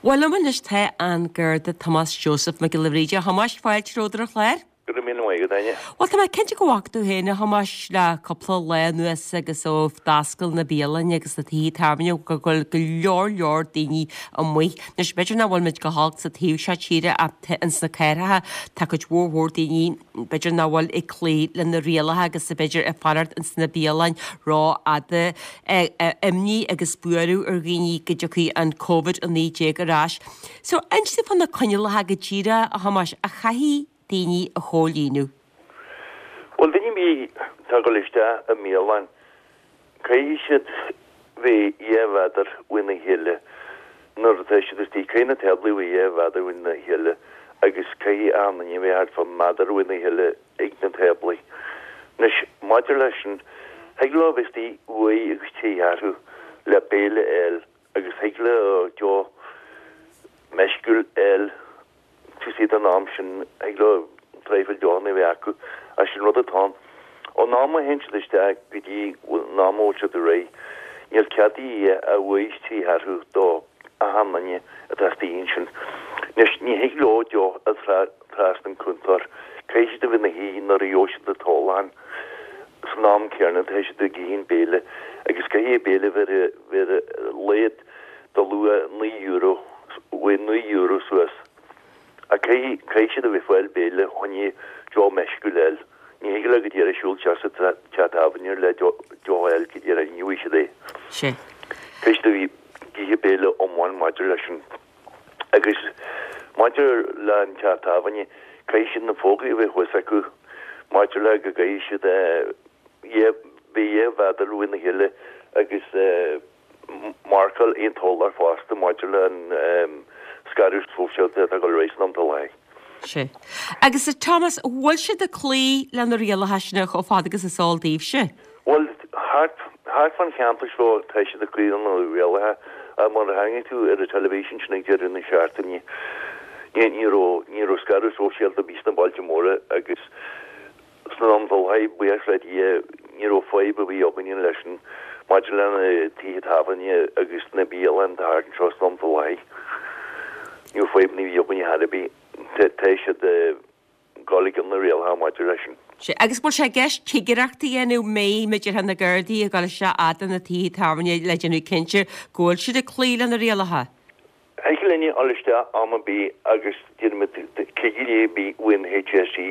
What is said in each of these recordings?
Bhuel liom anois tá an Garda Tomás Joseph Mac Giolla Bhríde. A Thomáis, fáilte romhat ar an chlár. Go raibh míle maith agat, Áine. Bhuel, tá mé cinnte go bhfaca tú féin, a Thomáis, le cúpla lá anuas agus ó d'oscail na bialainn agus na tithe tábhairne go bhfuil go leor leor daoine amuigh. Anois, b'fhéidir nach bhfuil muid go holc sa taobh seo tíre ach ins na cathracha tá cuid mhór mhór daoine b'fhéidir nach bhfuil ag cloí le na rialacha agus b'fhéidir ag fanacht ins na bialainn rófhada. Imní agus buaireamh ar dhaoine go dtiocfaidh an Covid-19 ar ais. So, inis domh fá na coinníollacha go díreach, a Thomáis, a chaithfidh daoine a chomhlíonadh. Bhuel, duine ar bith atá ag dul isteach i mbialann, caithfidh siad bheith dhá mhéadar uaina chéile nuair atá siad istigh. Caithfidh na táblaí bheith dhá mhéadar uaina chéile agus caithfidh achan duine bheith thart fá méadar uaina chéile ag na táblaí. Anois, maidir leis sin, thig leo bheith istigh uair agus trí cheathrú le béile a fháil agus thig leo deoch meisciúil a fháil taobh istigh den am sin, thig leo traidhfil deochanna a bheith acu, ach sin rud atá ann. Ón am a théann siad isteach go dtí an am a bhfuil siad réidh, níl cead a dhath ach uair is trí cheathrú do achan duine atá istigh ansin. Anois, ní thig leo deoch a fháil trasna an cuntar, caithfidh siad a bheith ina shuí nuair a gheobhaidh siad an t-ólachán. San am céanna tá siad ag ithe an béile agus caithfidh an béile bheith ar a laghad de luach €9, uaidh €9 suas. Ach caithfidh, caithfidh siad a bheith ag fáil béile fá choinne deoch meisciúil a fháil. Ní thig leo go díreach siúl isteach sa teach tábhairne le deoch a fháil go díreach, ní bhfaighidh siad é. Sea. Caithfidh siad a bheith ag ithe béile iomlán maidir leis sin. Agus maidir le an teach tábhairne, caithfidh siad na fógraí a bheith thuas acu maidir le go gcaithfidh siad bheith dhá mhéadar uaina chéile agus marcáil aon t-urlár fosta maidir le an scaradh sóisialta atá ag dul ar aghaidh san am atá i láthair. Sea. Agus a Thomas, bhfuil siad ag cloí le na rialacha sin chomh fada agus is eol daoibhse? Bhuel, thart, thart fán cheantar seo tá siad ag cloí le na rialacha ach mar a chonaic tú ar an teilifís ansin ag deireadh na seachtaine, ní, ní raibh, ní raibh scaradh sóisialta ar bith sna bailte móra agus san am atá i láthair, buíochas le Dia, ní raibh fadhb ar bith againne leis sin maidir le na tithe tábhairne agus na bialanna atá thart anseo san am atá i láthair. Ní raibh fadhbanna ar bith againne chor ar bith. Tá siad ag dul i gcionn na rialacha maidir leis sin. Sea, agus bhfuil sé i gceist cigireacht a dhéanamh, mbeidh muid na Gardaí ag dul isteach fhad na tithe tábhairne le déanamh cinnte go bhfuil siad ag cloí le na rialacha? Thig linne dul isteach am ar bith agus déanfaimid cigirí ar bith ón HSE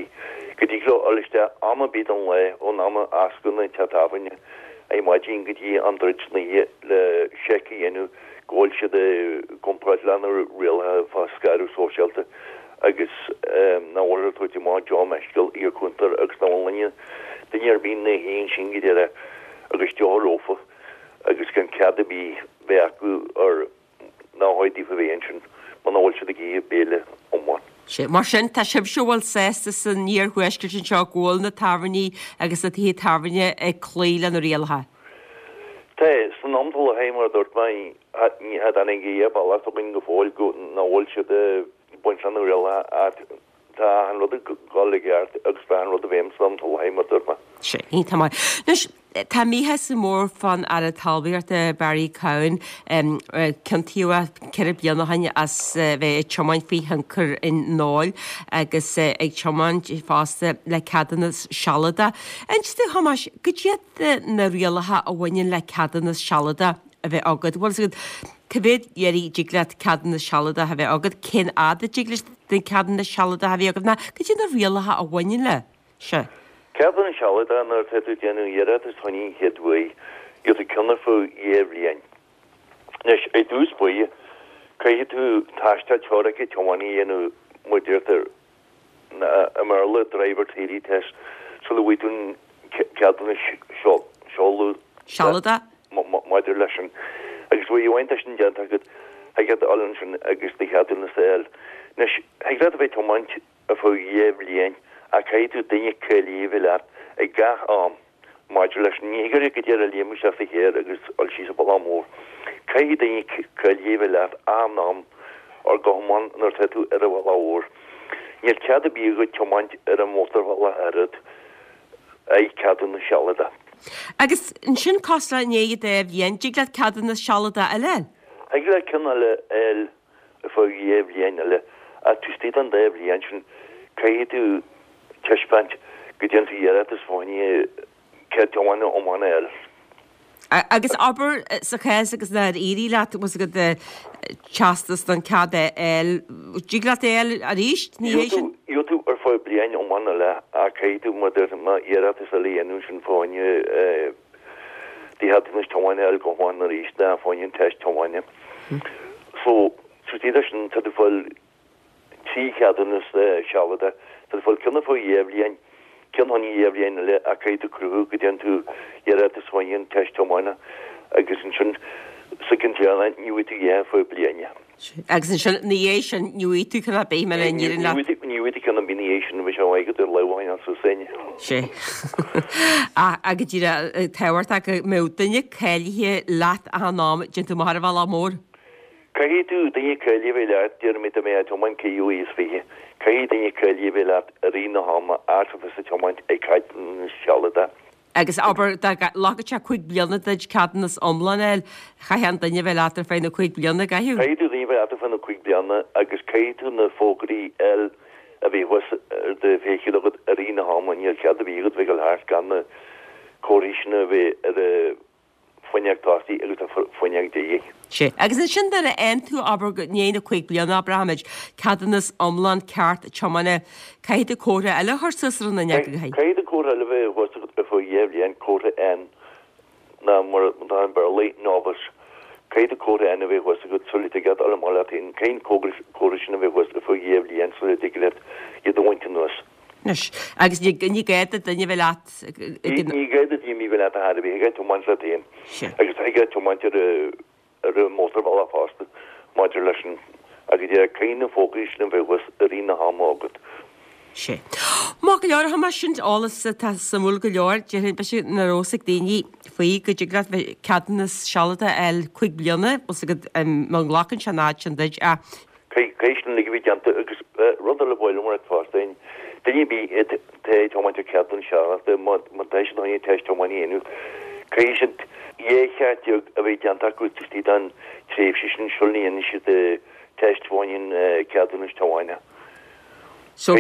go dtig leo dul isteach am ar bith den lá ón am a osclaíonn an teach tábhairne ar maidin go dtí am druid san oíche le seic a dhéanamh go bhfuil siad i gcomparáid le na rialacha fá scaradh sóisialta agus nach bhfuil ag tabhairt amach deoch meisciúil ag an cuntar agus nach bhfuil duine ar bith ina shuí ansin go díreach agus deoch leofa agus gan cead ar bith bheith acu ar nár chóir daofa bheith ansin muna bhfuil siad ag ithe béile iomlán. Sea, mar sin, tá sibhse a bhfuil sásta san iarthuaisceart anseo go bhfuil na tábhairní agus na tithe tábhairne ag cloí le na rialacha. Tá, san am atá i láthair, mar a dúirt mé, ní tháinig a dhath bealach againn go fóill go nach bhfuil siad ag baint leis na rialacha ach tá achan rud ag dul i gceart agus tá achan rud i bhfeidhm san am atá i láthair, mar a dúirt mé. Sea, iontach maith. Anois, tá míshásamh mór fán Aire Talmhaíochta Barry Cowen, ciontaíodh é ceithre bliana ó shin as bheith ag tiomáint faoi thionchar an óil agus ag tiomáint fosta le ceadúnas sealadach. Inis domh, a Thomáis, cad iad na rialacha a bhaineann le ceadúnas sealadach a bheith agat? Bhfuil fhios agat cá mhéad iarraidh a dtig leat ceadúnas sealadach a bheith agat, cén fhad a dtig leat an ceadúnas sealadach a bheith agat, ná cad iad na rialacha a bhaineann leis? Sea. Ceadúnas sealadach nuair atá tú ag déanamh iarratas fá choinne an chéad uair, gheobhaidh tú ceann ar feadh 2 bhliain. Anois, ar dtús báire, caithfidh tú tástáil teoirice tiomána a dhéanamh, mar a deirtear i mBéarla, driver theory test, sula bhfaighidh tú an ceadúnas seoladh Sealadach. maidir leis sin. Agus uair amháin tá sin déanta agat, thig leat a dhul ansin agus do cheadúnas a fháil. Anois, thig leat a bheith ag tiomáint ar feadh 2 bhliain ach caithfidh tú duine cáilithe a bheith leat ag gach am maidir leis. Ní thig leat go díreach a léim isteach sa charr agus dul síos an bealach mór. Caithfidh duine cáilithe a bheith leat achan am ar go hiomlán nuair atá tú ar an bhealach mhór. Níl cead ar bith agat tiomáint ar an mótarbhealach oiread ach ceadúnas sealadach. Agus ansin cosúil le i ndiaidh an dá bhliain, dtig leat ceadúnas sealadach eile a fháil? Thig leat ceann eile a fháil. Ar feadh 2 bhliain eile, ach taobh istigh den dá bhliain sin, caithfidh tú taispeáint go dtéann tú iarratas fá choinne cead tiomána iomlán a fháil. Agus abair sa chás agus nár éirigh leat, bhfuil a fhios agat teastas don cead a fháil, dtig leat é a fháil arís ina dhiaidh sin? Gheobhaidh tú ar feadh bliain iomlán eile ach caithfidh tú mar deir má iarratas eile a dhéanamh sin fá choinne do cheadúnas tiomána a fháil go hiomlán arís ná fá choinne an teist tiomána. So, taobh istigh de sin tá tú ag fáil 3 cheadúnas sealadach. Tá tú ag fáil ceann ar feadh 2 bhliain, ceann fá choinne 2 bhliain eile ach caithfidh tú cruthú go dtéann tú iarratas fá choinne an teist tiomána agus ansin sa gceann deireanach ní bhfaighidh tú a dhath ar feadh bliana. Agus ansin ina dhiaidh sin ní bhfaighidh tú ceann ar bith mura n-éiríonn leat. Ní bhfaighidh tú ceann ar bith ina dhiaidh sin bheadh sé maith agat ar lámh a choinneáil suas féin. Sea. Ach go díreach tábhachtach go mbeadh duine cáilithe leat achan am, déanann tú amach ar an bhealach mór. Caithfidh tú duine cáilithe a bheith leat, déarfaimid dá mbeifeá ag tiomáint 25, caithfidh duine cáilithe a bheith leat i rith na hama atá tusa ag tiomáint ag ceadúnas sealadach. Agus abair dá nglacfadh sé 5 bliana duit ceadúnas iomlán a fháil, chaithfeadh an duine a bheith leat ar feadh na 5 bliana, gcaithfeadh? Caithfidh tú duine a bheith leat ar feadh na 5 bliana agus caithfidh tú na fógraí a fháil a bheith thuas ar do fheithicil agat i rith na hama, níl cead ar bith agat bheith ag dul thart gan na comharthaí sin a bheith ar an fuinneog tosaigh agus an fuinneog deiridh. Sea. Agus ansin nuair a fhaigheann tú, abair, i ndiaidh na 5 bliana, abraimid, ceadúnas iomlán ceart tiomána, caithfidh tú comhartha eile a chur suas ar an fhuinneog, an gcaithfidh? Caithfidh tú comhartha eile a bheith thuas agat ar feadh 2 bhliain, comhartha N, nó mar atá i mBéarla, novice. Caithfidh tú comhartha N a bheith thuas agat sula dtig leat dul amach leat féin. Caithfidh an comhartha sin a bheith thuas ar feadh 2 bhliain sula dtig leat iad a bhaint anuas. Anois, agus ní ní gá do duine a bheith leat ag an. Ní gá do duine a bheith leat ar chor ar bith, thig leat tiomáint leat féin. Agus thig leat tiomáint ar ar an mótarbhealach fosta maidir leis an agus yeah, caithfidh na fógraí sin a bheith thuas i rith na hama agat. Sea. Maith go leor, a Thomáis, sin eolas atá suimiúil go leor. Déarfainn, b'fhéidir nach raibh fhios ag daoine faoi go dtig leat bheith ceadúnas sealadach a fháil 5 bliana, bhfuil fhios agat, má ghlacann sé an fhad sin duit ach Caithfidh sin uilig a bheith déanta agus rud eile ba mhaith liom a rá fosta, duine ar bith atá ag tiomáint ar cheadúnas sealadach, má tá siad chun an teist tiomána a dhéanamh, caithfidh siad 12 cheart a bheith déanta acu taobh istigh den tréimhse sin sula ndéanann siad teist fá choinne an cheadúnas tiomána. So,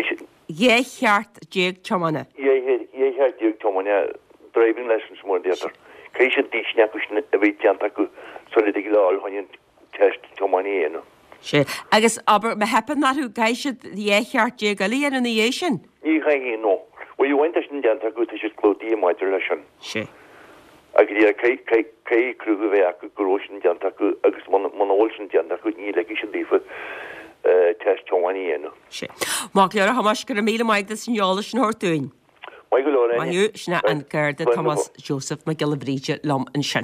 12 cheart tiomána? 12 cheart tiomána, driving licence mar a deirtear. Caithfidh siad an dá cheann acu sin a bheith déanta acu sula dtig leo dul chun an teist tiomána a dhéanamh. Sea. Agus, abair, má theipeann orthu, caithfidh siad 12 cheart eile a dhéanamh ina dhiaidh sin? Ní chaithfidh, no. Uair amháin tá sin déanta acu, tá siad clúdaithe maidir leis sin. Sea. Agus yeah, caithfidh cruthú a bheith acu go raibh sin déanta acu agus muna bhfuil sin déanta acu, ní ligfidh siad daofa teist tiomána a dhéanamh. Sea. Maith go leor, a Thomáis, go raibh míle maith agat as an eolas sin a thabhairt dúinn. Maith go leor, Áine. Maith thú. Sin é an Garda Tomás Joseph Mac Giolla Bhríde liom ansin.